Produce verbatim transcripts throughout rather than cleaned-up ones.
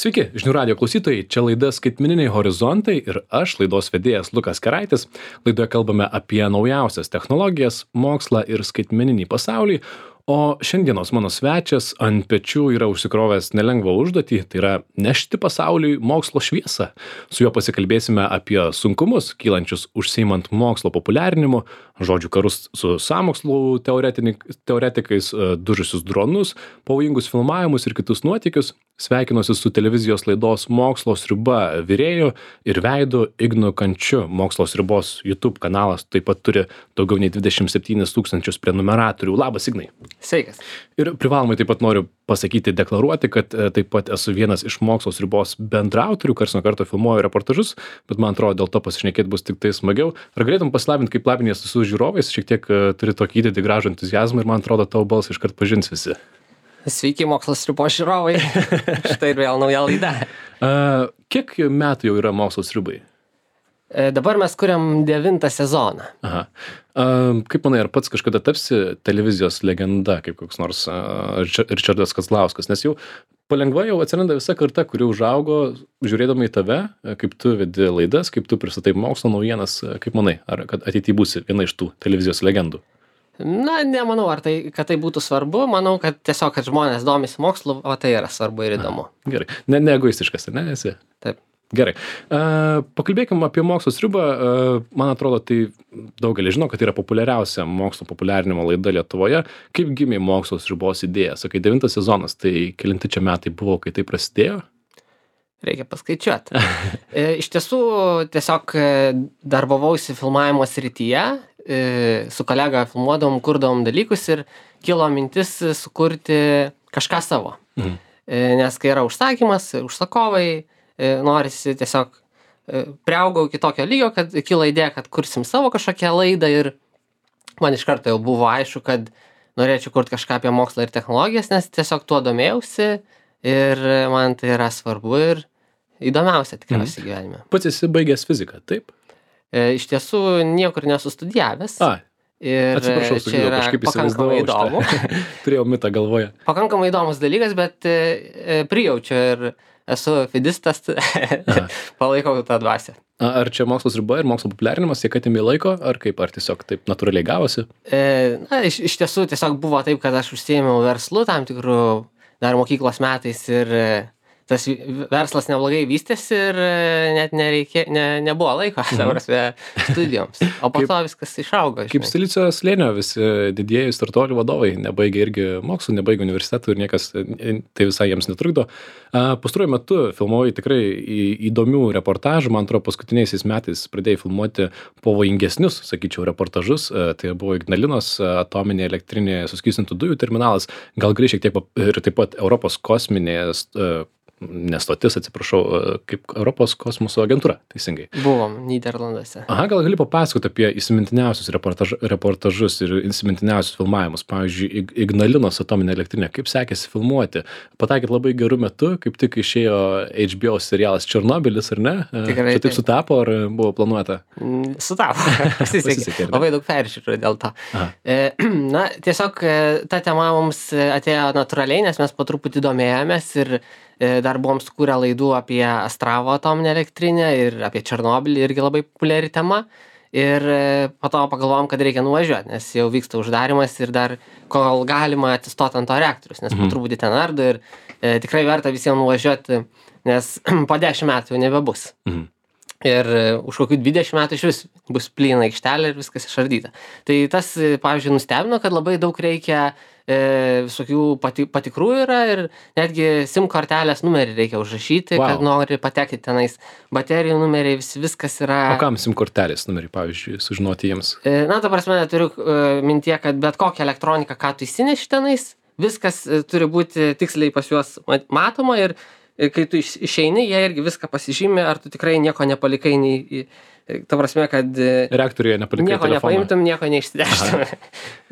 Sveiki, žinių radijo klausytojai, čia laida Skaitmeniniai horizontai ir aš, laidos vedėjas Lukas Keraitis. Laidoje kalbame apie naujausias technologijas, mokslą ir skaitmeninį pasaulį, o šiandienos mano svečias ant pečių yra užsikrovęs nelengvą užduotį, tai yra nešti pasauliui mokslo šviesą. Su juo pasikalbėsime apie sunkumus, kylančius užsiimant mokslo populiarinimu, žodžių karus su sąmokslų teoretikais, dužusius dronus, pavojingus filmavimus ir kitus nuotykius. Sveikinuosi su televizijos laidos Mokslo sriuba virėju ir veidu Ignu Kančiu. Mokslo sriubos YouTube kanalas taip pat turi daugiau nei dvidešimt septynis tūkstančius prenumeratorių. Labas, Ignai. Sveikas. Ir privalomai taip pat noriu pasakyti, deklaruoti, kad taip pat esu vienas iš Mokslo sriubos bendraautorių, karts nuo karto filmuoju reportažus, bet man atrodo, dėl to pasišnekėti bus tik tai smagiau. Ar galėtum pasilabinti, kaip labinies su žiūrovais, šiek tiek turi tokį įdėti gražų entuziazmą ir man atrodo, tavo balsą iškart pažins visi. Sveiki, Mokslo sriubos žiūrovai. Štai ir vėl nauja laida. Uh, kiek metų jau yra Mokslo sriubai? E, dabar mes kuriam devintą sezoną. Aha. Uh, kaip manai, ar pats kažkada tapsi televizijos legenda, kaip koks nors uh, Ričardas Kazlauskas? Nes jau palengva jau atsiranda visa karta, kuri užaugo žiūrėdama į tave, kaip tu vedi laidas, kaip tu pristatai mokslo naujienas. Kaip manai, ar kad ateityje būsi viena iš tų televizijos legendų? Na, nemanau, ar tai, kad tai būtų svarbu. Manau, kad tiesiog, kad žmonės domisi mokslu, o tai yra svarbu ir įdomu. Aha, gerai. Ne, ne egoistiškas, ne esi? Taip. Gerai. Uh, pakalbėkime apie mokslo sriubą. Uh, man atrodo, tai daugelis žino, kad tai yra populiariausia mokslo populiarinimo laida Lietuvoje. Kaip gimė mokslo sriubos idėja? Sakai, devintas sezonas, tai kelinti čia metai buvo, kai tai prasidėjo? Reikia paskaičiuoti. e, iš tiesų, tiesiog darbavausi filmavimo srityje, e, su kolega filmuodavom, kurdavom dalykus ir kilo mintis sukurti kažką savo. Mhm. E, nes kai yra užsakymas, užsakovai, e, norisi tiesiog e, priaugau iki tokio lygio, kad kilo idėja, kad kursim savo kažkokią laidą ir man iš karto jau buvo aišku, kad norėčiau kurti kažką apie mokslą ir technologijas, nes tiesiog tuo domėjausi ir man tai yra svarbu ir įdomiausia tikriausiai gyvenime. Pats esi baigęs fiziką, taip? E, iš tiesų niekur nesustudijavęs. A, ir atsiprašau, čia yra pakankamai įdomu. Turėjau mitą galvoje. Pakankamai įdomus dalykas, bet e, prijaučiu ir esu fidistas, palaikau tą dvasią. Ar čia mokslo sriuba ir mokslo populiarinimas tiek atėmė laiko, ar kaip, ar tiesiog taip natūraliai gavosi? E, na, iš, iš tiesų tiesiog buvo taip, kad aš užsiėmiau verslu tam tikrų dar mokyklos metais ir tas verslas neblogai vystėsi ir net nereikė, ne, nebuvo laiko, ta prasme, studijoms. O po Kaip- to viskas išaugo. Kaip žinai. Silicio slėnio visi didieji startuolių vadovai nebaigė irgi mokslų, nebaigė universitetų ir niekas tai visai jiems netrukdo. A, Pastaruoju metu filmuoji tikrai į- įdomių reportažų, man atrodo, paskutiniaisiais metais pradėjai filmuoti pavojingesnius, sakyčiau, reportažus. A, Tai buvo Ignalinos atominė elektrinė suskystintų dujų terminalas, gal gali šiek tiek pap- ir taip pat Europos kosminės a, nestotis, atsiprašau, a, kaip Europos kosmoso agentūra, teisingai. Buvom Nyderlanduose. Aha, gal gali papasakoti apie įsimintiniausius reportaž, reportažus ir įsimintiniausius filmavimus. Pavyzdžiui, Ig- Ignalinos atominė elektrinė. Kaip sekėsi filmuoti? Pataikėt labai gerų metų, kaip tik išėjo H B O serialas Černobylis, ar ne? Tikrai Čia taip taip. sutapo, ar buvo planuota? Mm, Sutapo. Pasisekė, Pasisekė. ar ne? Labai daug peržiūrų dėl to. Aha. E, na, tiesiog e, ta tema mums e, atėjo natūraliai, nes mes po truputį domėjomės ir e, dar buvom sukūrę laidų apie Astravo atominę elektrinę ir apie Černobylį, irgi labai populiari tema. Ir e, po to pagalvojom, kad reikia nuvažiuoti, nes jau vyksta uždarimas ir dar kol galima atsistoti ant to reaktorius, nes po truputį ten ardo ir e, tikrai verta visiems nuvažiuoti, nes po dešimt metų jau nebebus. Mhm. Ir e, už kokių dvidešimt metų iš vis bus plyna aikštelė ir viskas išardyta. Tai tas, e, pavyzdžiui, nustebino, kad labai daug reikia e, visokių pati, patikrų yra ir netgi SIM kortelės numerį reikia užrašyti, Vau. kad nori patekti tenais. Baterijų numeriai, vis, viskas yra. O kam SIM kortelės numerį, pavyzdžiui, sužinoti jiems? E, Na, ta prasme, turiu e, mintie, kad bet kokią elektroniką, ką tu įsineši tenais, viskas e, turi būti tiksliai pas juos mat- matoma ir e, kai tu iš- išeini, jie irgi viską pasižymė, ar tu tikrai nieko nepalikai, nei, e, ta prasme, kad e, Reaktoriuje nepalikai nieko telefoną. nepaimtum, nieko neišsideštum.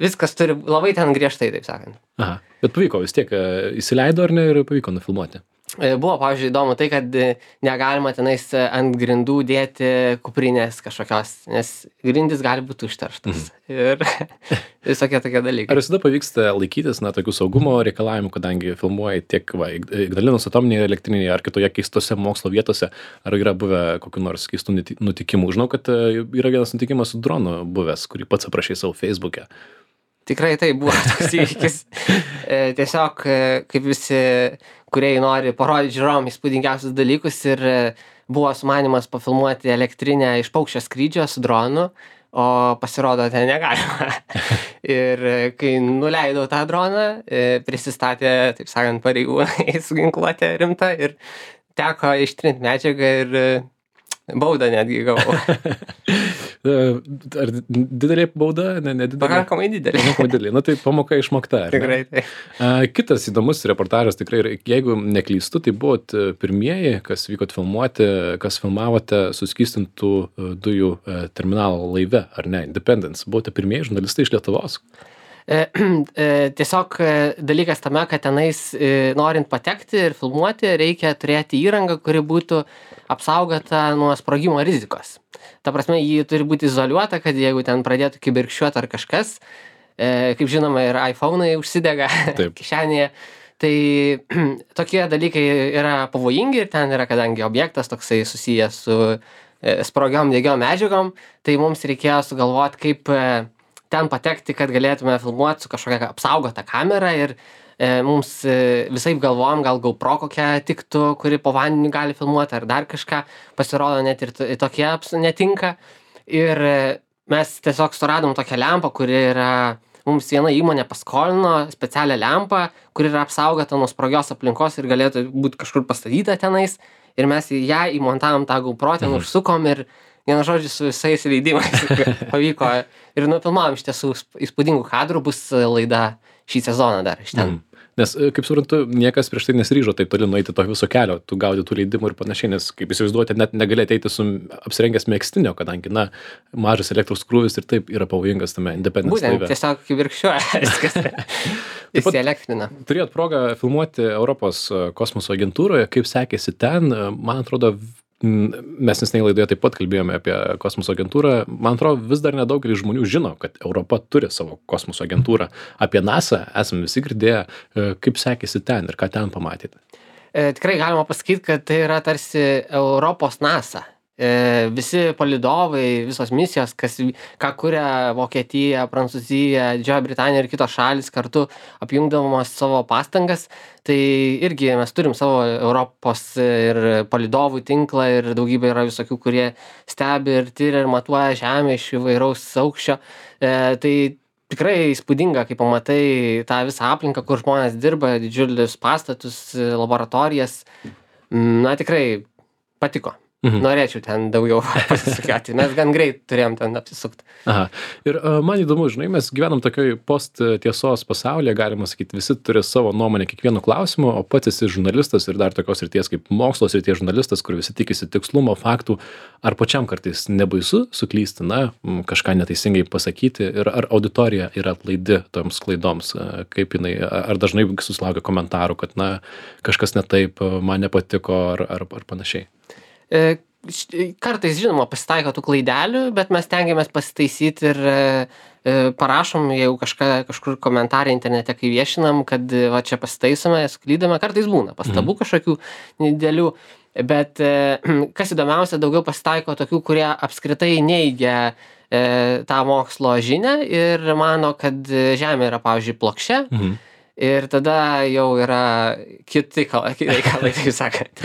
Viskas turi labai ten griežtai, taip sakant. Aha. Bet pavyko vis tiek, e, įsileido ar ne ir pavyko nufilmuoti? Buvo, pavyzdžiui, įdomu tai, kad negalima tenais ant grindų dėti kuprinės kažkokios, nes grindys gali būti užterštas. Mm. Ir visokie tokie dalykai. Ar visada pavyksta laikytis, na, tokių saugumo reikalavimų, kadangi filmuoji tiek, va, Ignalinos atominėje elektrinėje ar kitoje keistose mokslo vietose, ar yra buvę kokių nors keistų nutikimų? Žinau, kad yra vienas nutikimas su dronu buvęs, kurį pats aprašai savo Facebook'e. Tikrai tai buvo toks įvykis. Tiesiog, kaip visi kūrėjai nori parodyti žiūrovam įspūdingiausius dalykus ir buvo sumanymas pafilmuoti elektrinę iš paukščio skrydžio su dronu, o pasirodo ten negalima. Ir kai nuleidau tą droną, prisistatė, taip sakant, pareigūnai su ginkluote rimta ir teko ištrinti medžiagą ir baudą netgi gavau. Ar didelė bauda? Ne, nedidelė? Pakankamai didelė. Pakankamai didelė. Na tai pamoka išmokta. Tikrai tai. Kitas įdomus reportažas tikrai, jeigu neklystu, tai buvot pirmieji, kas vykot filmuoti, kas filmavote suskystintų dujų terminalo laive, ar ne? Independence. Buvote pirmieji žurnalistai iš Lietuvos. Tiesiog dalykas tame, kad tenais norint patekti ir filmuoti, reikia turėti įrangą, kuri būtų apsaugota nuo sprogimo rizikos. Ta prasme, jį turi būti izoliuota, kad jeigu ten pradėtų kibirkščiuoti ar kažkas, kaip žinoma, ir iPhone'ai užsidega kišenėje, tai tokie dalykai yra pavojingi ir ten yra, kadangi objektas toksai susijęs su sprogiom degiom medžiagom, tai mums reikėjo sugalvoti, kaip ten patekti, kad galėtume filmuoti su kažkokia apsaugota kamera ir e, mums e, visaip galvojom, gal GoPro kokia tiktų, kuri po vandeniu gali filmuoti ar dar kažką, pasirodo net ir tokie netinka. Ir e, mes tiesiog suradom tokią lempą, kuri yra, mums viena įmonė paskolino specialią lempą, kuri yra apsaugota nuo sprogios aplinkos ir galėtų būti kažkur pastatyta tenais. Ir mes ją įmontavom tą GoPro, ten mhm. užsukom ir vienu žodžiu su visais leidimais pavyko ir nufilmavom iš tiesų įspūdingų kadrų, bus laida šį sezoną dar iš ten. Mm. Nes, kaip suprantu, niekas prieš tai nesiryžo taip toli nueiti to viso kelio, tu gaudi tų leidimų ir panašiai, nes, kaip įsivaizduoti, net negali ateiti su apsirengęs megztinio, kadangi, na, mažas elektros krūvis ir taip yra pavojingas tame Independence Būtent, laive. Tiesiog kibirkščiuoja viskas. Įsielektrina. Turėjot progą filmuoti Europos kosmoso agentūroje, kaip sekėsi ten, man atrodo, mes nesnei laidoje taip pat kalbėjome apie kosmoso agentūrą. Man atrodo, vis dar nedaugelis žmonių žino, kad Europa turi savo kosmoso agentūrą. Apie NASA esame visi girdėję, kaip sekėsi ten ir ką ten pamatėte. E, tikrai galima pasakyti, kad tai yra tarsi Europos NASA. E, visi palydovai, visos misijos, kas, ką kuria Vokietija, Prancūzija, Didžioji Britanija ir kitos šalys kartu apjungdamos savo pastangas, tai irgi mes turim savo Europos ir palydovų tinklą ir daugybė yra visokių, kurie stebi ir tyria ir matuoja Žemę iš įvairaus aukščio. E, tai tikrai įspūdinga, kai pamatai tą visą aplinką, kur žmonės dirba, didžiulius pastatus, laboratorijas. Na, tikrai patiko. Mhm. Norėčiau ten daugiau pasisukėti, mes gan greit turėjom ten apsisukti. Aha. Ir uh, man įdomu, žinai, mes gyvenam tokioj post tiesos pasaulyje, galima sakyti, visi turi savo nuomonę kiekvienu klausimu, o pats esi žurnalistas ir dar tokios srities kaip mokslos srities žurnalistas, kur visi tikisi tikslumo, faktų. Ar pačiam kartais nebaisu suklysti, na, kažką neteisingai pasakyti ir ar auditorija yra atlaidi toms klaidoms, kaip jinai, ar dažnai susilaukia komentarų, kad, na, kažkas ne taip, man nepatiko ar, ar, ar panašiai. E, kartais, žinoma, pasitaiko tų klaidelių, bet mes tengiamės pasitaisyti ir e, parašom, jeigu kažką, kažkur komentarą internete, kai viešinam, kad va čia pasitaisome, suklydame, kartais būna pastabų mhm. kažkokių didelių, bet e, kas įdomiausia, daugiau pasitaiko tokių, kurie apskritai neigia e, tą mokslo žinią ir mano, kad Žemė yra, pavyzdžiui, plokščia. Mhm. Ir tada jau yra kiti reikalai, taip sakant.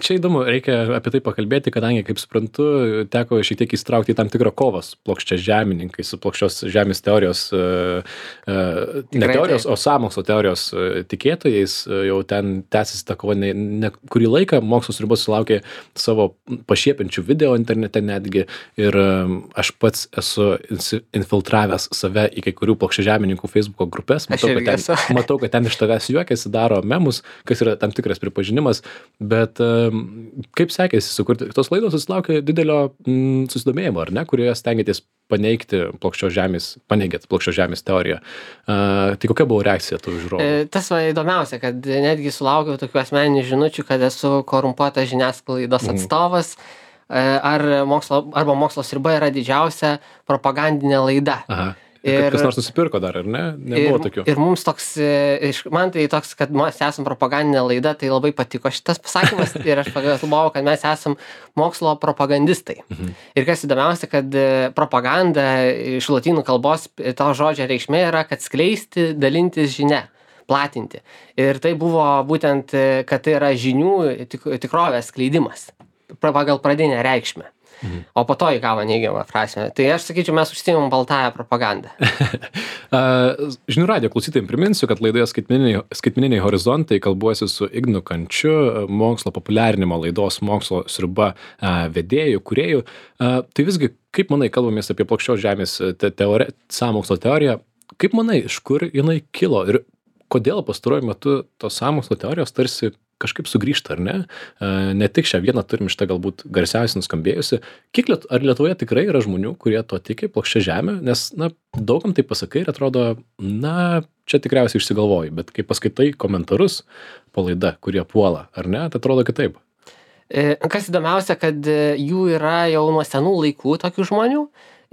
Čia įdomu, reikia apie tai pakalbėti, kadangi, kaip suprantu, teko šiek tiek įsitraukti į tam tikrą kovą su plokščia žemininkai, su plokščios žemės teorijos, ne teorijos, o sąmokslo teorijos tikėtojais. Jau ten tęsiasi ta kova ne, ne kurį laiką, Mokslo ribos sulaukė savo pašiepiančių video internete netgi. Ir aš pats esu infiltravęs save į kai kurių plokščia žemininkų Facebooko grupės. Matau, kad ten, matau, kad ten iš tavęs juokiasi, daro memus, kas yra tam tikras pripažinimas, bet kaip sekėsi sukurti? Tos laidos susilaukė didelio mm, susidomėjimo, ar ne, kurioje stengiatės paneigti plokščios žemės, paneigėt plokščios žemės teoriją. Uh, tai kokia buvo reakcija tų žiūrovų? E, tas va įdomiausia, kad netgi sulaukiau tokių asmeninių žinučių, kad esu korumpuotas žiniasklaidos atstovas, e, ar mokslo, arba mokslo sriuba yra didžiausia propagandinė laida. Aha. Ir kas nors nusipirko dar, ar ne? Nebuvo ir, tokių. Ir mums toks, man tai toks, kad mes esam propagandinė laida, tai labai patiko šitas pasakymas ir aš pagalvojau, kad mes esam mokslo propagandistai. Mhm. Ir kas įdomiausia, kad propaganda iš lotynų kalbos, to žodžio reikšmė yra, kad skleisti, dalintis žinia, platinti. Ir tai buvo būtent, kad tai yra žinių tik, tikrovės skleidimas pagal pradinę reikšmę. Mhm. O po to įgavo neigiamą prasmę. Tai aš sakyčiau, mes užsiimam baltąją propagandą. Žinių radijo klausytojams priminsiu, kad laidoje skaitmeniniai, skaitmeniniai horizontai kalbuosi su Ignu Kančiu, mokslo populiarinimo laidos mokslo sriuba vedėjų, kūrėjų. Tai visgi, kaip manai, kalbamės apie plokščios žemės te teori, sąmokslo teoriją, kaip manai, iš kur jinai kilo ir kodėl pastaruoju metu tos sąmokslo teorijos tarsi kažkaip sugrįžta, ar ne? Ne tik šią vieną turim šitą galbūt garsiausiai nuskambėjusi. Kiek liet, ar Lietuvoje tikrai yra žmonių, kurie to tiki, plokščia žemė? Nes, na, daugam tai pasakai ir atrodo, na, čia tikriausiai išsigalvoji, bet kai paskaitai komentarus po laida, kurie puola, ar ne, tai atrodo kitaip. Kas įdomiausia, kad jų yra jau nuo senų laikų tokių žmonių,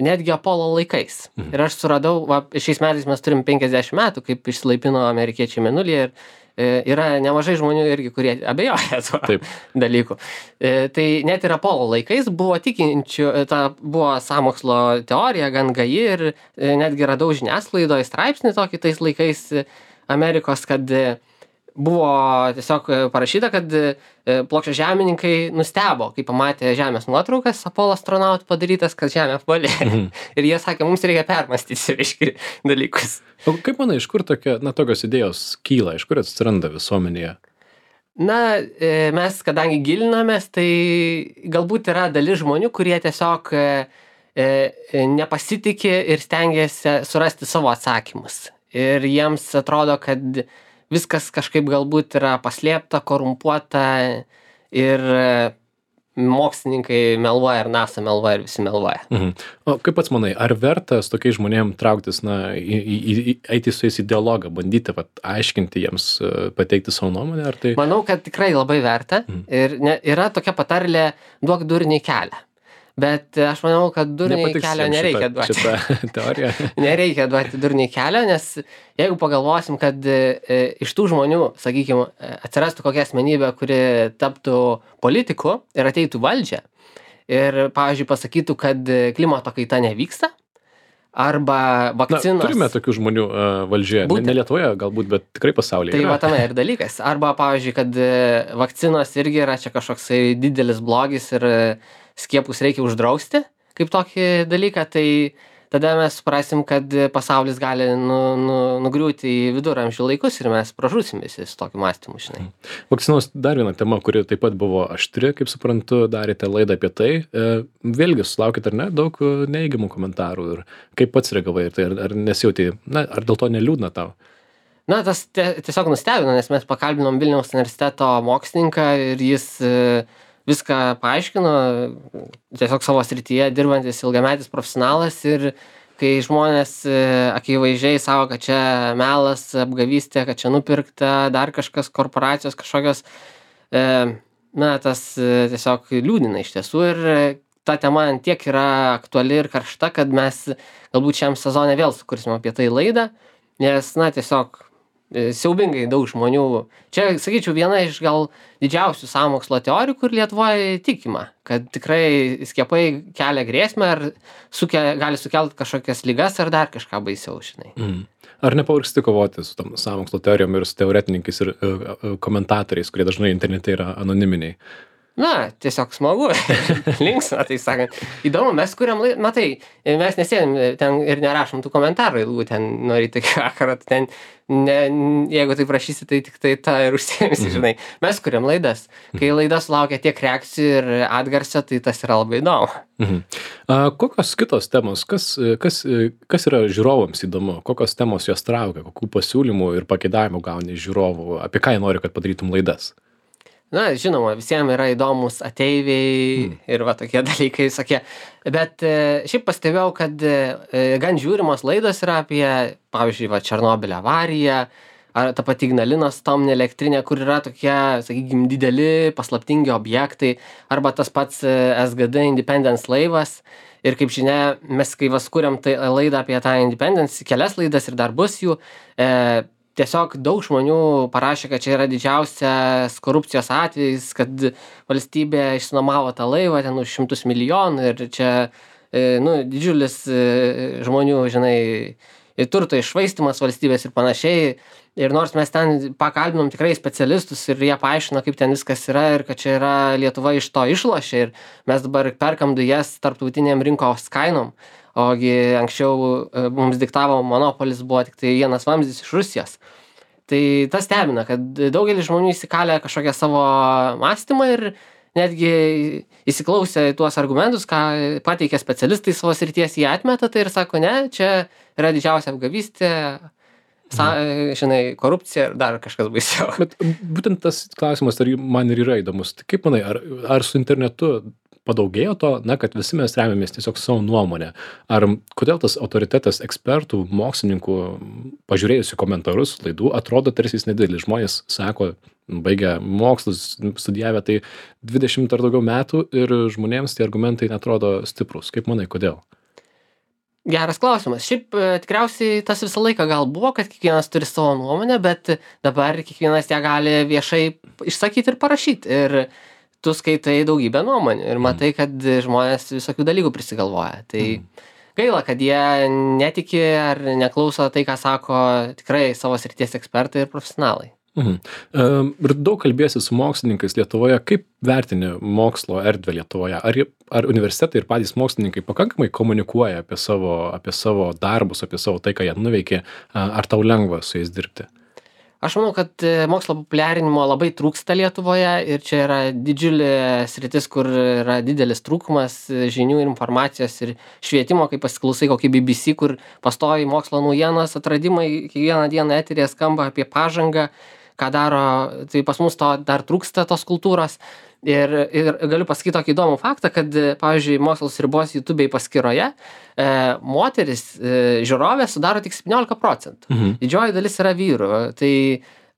netgi Apollo laikais. Mhm. Ir aš suradau, va, šiais metais mes turim penkiasdešimt metų, kaip išsilaipino amerikiečiai mėnulyje ir yra nemažai žmonių irgi, kurie abejoja tuo Taip. dalyku. E, tai net ir Apollo laikais buvo tikinčių, ta buvo sąmokslo teorija gan gaji ir e, netgi radau žiniasklaidoje straipsnį tokį tais laikais Amerikos, kad buvo tiesiog parašyta, kad plokščiažemininkai nustebo, kai pamatė Žemės nuotraukas Apollo astronautų padarytas, kad Žemė apvali. Mhm. Ir jie sakė, mums reikia permastyti reiškia dalykus. O kaip manai, iš kur tokia, na, tokios idėjos kyla, iš kur atsiranda visuomenėje? Na, mes, kadangi gilinamės, tai galbūt yra dalis žmonių, kurie tiesiog nepasitikė ir stengiasi surasti savo atsakymus. Ir jiems atrodo, kad viskas kažkaip galbūt yra paslėpta, korumpuota ir mokslininkai meluoja ir NASA meluoja ir visi meluoja. Mhm. O kaip pats manai, ar verta su tokiais žmonėm trauktis, na, į, į, į, eiti su jais į dialogą, bandyti vat, aiškinti jiems, pateikti savo nuomonę, ar tai? Manau, kad tikrai labai verta. Mhm. Ir ne, yra tokia patarlė, duok durniui kelią. Bet aš manau, kad durniai kelio nereikia duoti. Šitą teoriją. Nereikia duoti durniai kelio, nes jeigu pagalvosim, kad e, iš tų žmonių, sakykime, atsirastų kokia asmenybė, kuri taptų politiku ir ateitų valdžią ir, pavyzdžiui, pasakytų, kad klimato kaita nevyksta, arba vakcinos... Na, turime tokių žmonių uh, valdžioje, ne, ne Lietuvoje galbūt, bet tikrai pasaulyje. Tai yra. va tame ir dalykas. Arba, pavyzdžiui, kad vakcinos irgi yra čia kažkoksai didelis blogis ir skiepus reikia uždrausti kaip tokį dalyką, tai tada mes suprasim, kad pasaulis gali nu, nu, nugriūti į viduramžių laikus ir mes pražūsim visi su tokiu mąstymu, žinai. Vakcinos dar viena tema, kuri taip pat buvo aštri, kaip suprantu, darėte laidą apie tai. Vėlgi sulaukit ar ne daug neigiamų komentarų ir kaip pats reagavai, tai ar, ar nesijauti, na, ar dėl to neliūdna tau? Na, tas tiesiog nustebino, nes mes pakalbinom Vilniaus universiteto mokslininką ir jis viską paaiškino, tiesiog savo srityje dirbantis ilgametis profesionalas ir kai žmonės akivaizdžiai savo, kad čia melas, apgavystė, kad čia nupirkta, dar kažkas, korporacijos kažkokios, na, tas tiesiog liūdina iš tiesų ir ta tema tiek yra aktuali ir karšta, kad mes galbūt šiam sezone vėl sukursime apie tai laidą, nes, na, tiesiog siaubingai daug žmonių. Čia, sakyčiau, viena iš gal didžiausių sąmokslo teorijų, kur Lietuvoje tikima, kad tikrai skiepai kelia grėsmę ar suke, gali sukelti kažkokias ligas ar dar kažką baisiau, žinai. Mm. Ar nepavargsti kovoti su tom sąmokslo teorijom ir su teoretininkais ir uh, komentatoriais, kurie dažnai internete yra anoniminiai? Na, tiesiog smagu, linksma, tai sakant. Įdomu, mes kuriam laidą, matai, mes nesėdim ten ir nerašom tų komentarų ilgų ten nuo ryto iki vakaro, ten, ne, jeigu tai prašysi, tai tik tai tą ir užsiėmisi, žinai. Mes kuriam laidas. Kai laida sulaukia tiek reakcijų ir atgarsio, tai tas yra labai įdomu. Mhm. A, kokios kitos temos, kas, kas, kas yra žiūrovams įdomu, kokios temos jos traukia, kokių pasiūlymų ir pageidavimų gauni iš žiūrovų, apie ką jie nori, kad padarytum laidas? Na, žinoma, visiems yra įdomus ateiviai mm. ir va tokie dalykai visokie. Bet e, šiaip pastebėjau, kad e, gan žiūrimos laidos yra apie, pavyzdžiui, va, Černobylio avariją, ar ta pati Ignalinos atominė elektrinė, kur yra tokie, sakykime, dideli, paslaptingi objektai, arba tas pats S G D Independence laivas. Ir kaip žinia, mes kai vas kuriam tai laidą apie tą Independence, kelias laidas ir dar bus jų, e, tiesiog daug žmonių parašė, kad čia yra didžiausias korupcijos atvejis, kad valstybė išsinuomavo tą laivą ten už šimtus milijonų ir čia, nu, didžiulis žmonių, žinai, turto iššvaistymas valstybės ir panašiai. Ir nors mes ten pakalbinom tikrai specialistus ir jie paaiškino, kaip ten viskas yra ir kad čia yra Lietuva iš to išlošia ir mes dabar perkam dujas tarptautiniam rinkos kainom. Ogi anksčiau mums diktavo monopolis, buvo tik tai vienas vamzdis iš Rusijos. Tai tas stebina, kad daugelis žmonių įsikalė kažkokią savo mąstymą ir netgi įsiklausę į tuos argumentus, ką pateikia specialistai savo srities, jie atmeta tai ir sako, ne, čia yra didžiausia apgavystė, sa, žinai, korupcija ir dar kažkas baisiau. Bet būtent tas klausimas ar man ir yra įdomus. Tai kaip manai, ar, ar su internetu padaugėjo to, na, kad visi mes remiamės tiesiog savo nuomonę. Ar kodėl tas autoritetas ekspertų, mokslininkų, pažiūrėjusių komentarus laidų, atrodo tarsi jis nedidelis. Žmonės sako, baigia mokslus, studijavę tai dvidešimt ar daugiau metų ir žmonėms tie argumentai netrodo stiprus. Kaip manai, kodėl? Geras klausimas. Šiaip tikriausiai tas visą laiką gal buvo, kad kiekvienas turi savo nuomonę, bet dabar kiekvienas ją gali viešai išsakyti ir parašyti. Ir tu skaitai daugybę nuomonių ir matai, kad žmonės visokių dalykų prisigalvoja. Tai gaila, kad jie netiki ar neklauso tai, ką sako tikrai savo srities ekspertai ir profesionalai. Mhm. Ir daug kalbėsi su mokslininkais Lietuvoje. Kaip vertini mokslo erdvę Lietuvoje? Ar, ar universitetai ir patys mokslininkai pakankamai komunikuoja apie savo, apie savo darbus, apie savo tai, ką jie nuveikė? Ar tau lengva su jais dirbti? Aš manau, kad mokslo populiarinimo labai trūksta Lietuvoje ir čia yra didžiulė sritis, kur yra didelis trūkumas žinių ir informacijos ir švietimo, kai pasiklausai kokį B B C, kur pastoviai mokslo naujienos, atradimai, kiekvieną dieną eterėje skamba apie pažangą, ką daro, tai pas mus to dar trūksta tos kultūros. Ir, ir galiu pasakyti tokį įdomų faktą, kad, pavyzdžiui, Mokslas ribos YouTube'ai paskyroje e, moteris e, žiūrovė sudaro tik septyniolika procentų. Mhm. Didžioji dalis yra vyrų. Tai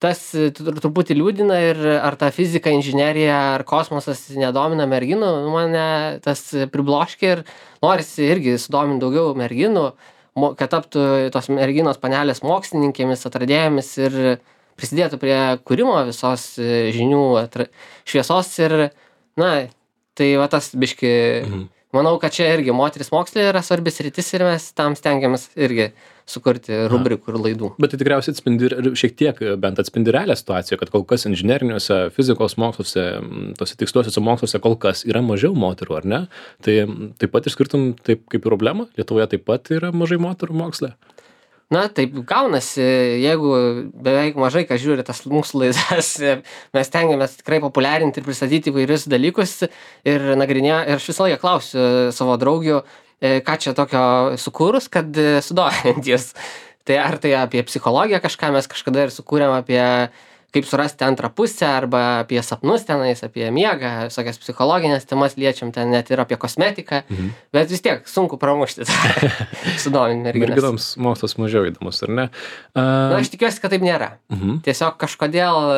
tas truputį liūdina ir ar ta fizika, inžinerija ar kosmosas nedomina merginų, mane tas pribloškia ir norisi irgi sudominti daugiau merginų, kad taptų tos merginos panelės mokslininkėmis, atradėjomis ir prisidėtų prie kūrimo visos žinių atra... šviesos ir, na, tai va tas biški, mhm. manau, kad čia irgi moteris mokslė yra svarbis rytis ir mes tam stengiamės irgi sukurti rubrikų ir laidų. Bet tai tikriausiai atspindi ir šiek tiek bent atspindi realią situaciją, kad kol kas inžineriniuose, fizikos moksluose, tose tiksliuosiuose moksluose kol kas yra mažiau moterų, ar ne? Tai taip pat išskirtum taip kaip problemą, Lietuvoje taip pat yra mažai moterų moksle? Na, taip gaunasi, jeigu beveik mažai kas žiūri tas mūsų laidas, mes stengiamės tikrai populiarinti ir pristatyti įvairius dalykus ir nagrinėję, ir aš visą laiką klausiu savo draugių, ką čia tokio sukūrus, kad sudominti jas. Tai ar tai apie psichologiją kažką mes kažkada ir sukūrėm apie kaip surasti antrą pusę arba apie sapnus tenais, apie miegą, visokias psichologinės temas liečiam ten net ir apie kosmetiką, mhm. bet vis tiek sunku pramušti sudominti merginas. Merginoms mokslas mažiau įdomus, ar ne? Uh... Na, aš tikiuosi, kad taip nėra. Mhm. Tiesiog kažkodėl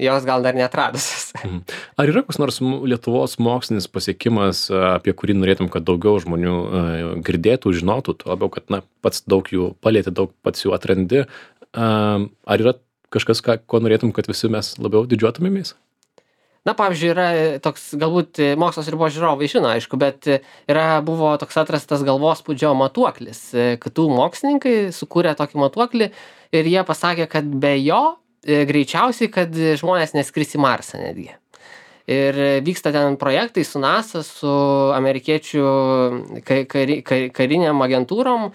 jos gal dar neatradusios. Mhm. Ar yra koks nors Lietuvos mokslinis pasiekimas, apie kurį norėtum, kad daugiau žmonių uh, girdėtų, žinotų, tuo labiau, kad na, pats daug jų palieti, daug pats jų atrandi? Uh, ar yra kažkas, ką, ko norėtum, kad visi mes labiau didžiuotumėmės? Na, pavyzdžiui, yra toks, galbūt Mokslas ribos žiūrovai žino, aišku, bet yra, buvo toks atrastas galvospūdžio matuoklis. K T U mokslininkai sukūrė tokį matuoklį ir jie pasakė, kad be jo greičiausiai, kad žmonės neskris į Marsą netgi. Ir vyksta ten projektai su NASA, su amerikiečių ka- kari- ka- kariniam agentūrom.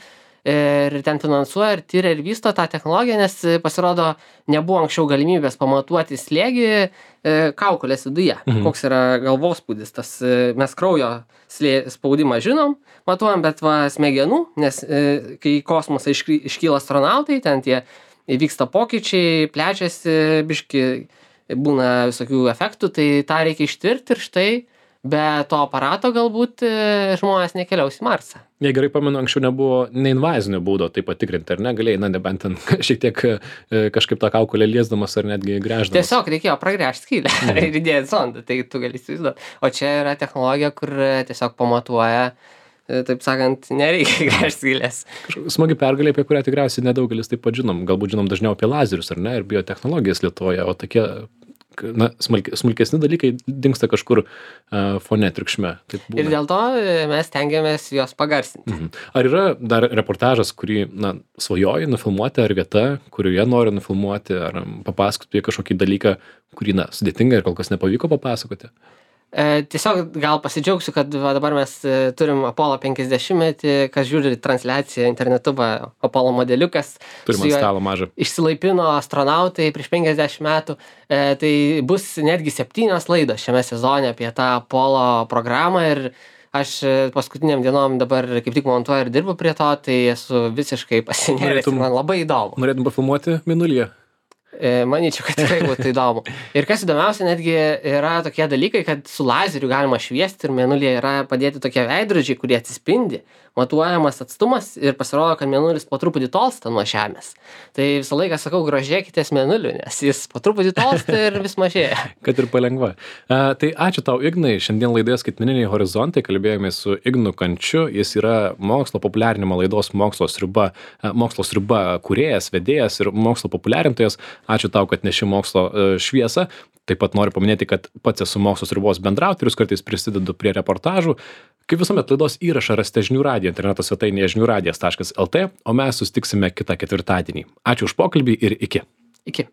Ir ten finansuoja ir tyria ir vysto tą technologiją, nes pasirodo nebuvo anksčiau galimybės pamatuoti slėgį e, kaukolės viduje. Mhm. Koks yra galvospūdis. Tas, e, mes kraujo slė, spaudimą žinom, matuojam, bet va smegenų, nes e, kai į kosmosą išky, iškyla astronautai, ten tie įvyksta pokyčiai, plečiasi, biški būna visokių efektų, tai tą reikia ištirti ir štai be to aparato galbūt e, žmonės nekeliaus į Marsą. Jei gerai pamenu, anksčiau nebuvo neinvazinio būdo tai patikrinti, ar ne? Galėjai, na, nebent ten šiek tiek e, kažkaip tą kaukolę liesdamas ar netgi gręždamas. Tiesiog reikėjo pragręžti skylę mhm. ir įdėti sondą, tai tu gali įsivaizduoti. O čia yra technologija, kur tiesiog pamatuoja, e, taip sakant, nereikia gręžti skylės. Smagi pergalė, apie kurią tikriausiai nedaugelis taip pat žinom. Galbūt žinom dažniau apie lazerius, ar ne, ir biotechnologijas Lietuvoje, o tokie na, smulk, smulkesni dalykai dingsta kažkur uh, fone triukšme. Ir dėl to mes tengiamės juos pagarsinti. Mhm. Ar yra dar reportažas, kurį na, svajoji nufilmuoti, ar vieta, kurioje nori nufilmuoti, ar papasakoti kažkokį dalyką, kurį na, sudėtinga ir kol kas nepavyko papasakoti? E, tiesiog gal pasidžiaugsiu, kad va, dabar mes e, turim Apollo penkiasdešimtmetį, kas žiūri transliaciją internetu, va, Apollo modeliukas. Turim ant stalo mažą. Išsilaipino astronautai prieš penkiasdešimt metų. E, tai bus netgi septynios laidos šiame sezone apie tą Apollo programą ir aš paskutiniam dienom dabar kaip tik montuoju ir dirbu prie to, tai esu visiškai pasinėręs ir man labai įdomu. Norėtum pafilmuoti Mėnulyje? Manyčiau, kad tikrai būtų įdomu. Ir kas įdomiausia, netgi yra tokie dalykai, kad su lazeriu galima šviesti ir Mėnulyje yra padėti tokie veidrodžiai, kurie atsispindi, matuojamas atstumas ir pasirodo, kad Mėnulis po truputį tolsta nuo Žemės. Tai visą laiką sakau, grožėkitės Mėnuliu, nes jis po truputį tolsta ir vis mažėja. Kad ir palengva. Uh, tai ačiū tau, Ignai. Šiandien laidoje Skaitmeniniai horizontai kalbėjome su Ignu Kančiu. Jis yra mokslo populiarinimo laidos mokslo sriuba, uh, mokslo sriuba kūrėjas, vedėjas ir mokslo populiarintojas. Ačiū tau, kad neši mokslo uh, šviesą. Taip pat noriu paminėti, kad pats esu mokslo sriubos bendraautorius, kartais prisidedu prie reportažų. Kaip visuomet, laidos įrašą rasite žinių radijo interneto svetainėje žinių radijas taškas lt, o mes susitiksime kitą ketvirtadienį. Ačiū už pokalbį ir iki. Iki.